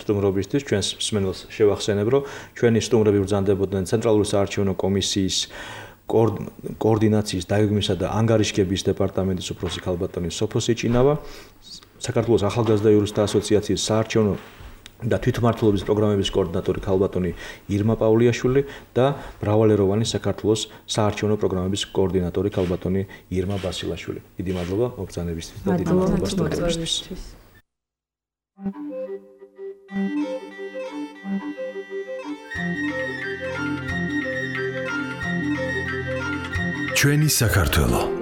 სტუმრობისთვის. ჩვენს მსმენელს შევახსენებ, რომ ჩვენი სტუმრები ბრძანდებოდნენ ცენტრალური საარჩევნო კომისიის კოორდინაციის, დაგეგმვისა და ანგარიშგების დეპარტამენტის უფროსი ქალბატონი სოფო სიჭინავა, საქართველოს ახალგაზრდა იურისტთა ასოციაციის საარჩევნო და თვითმმართველობის პროგრამების კოორდინატორი ქალბატონი ირმა პაულიაშვილი და მრავალეროვანი საქართველოს საარჩევნო პროგრამების კოორდინატორი ქალბატონი ირმა ბასილაშვილი. დიდი მადლობა მობრძანებისთვის და დიდი მადლობა სტუმრებისთვის. ჩვენი საქართველო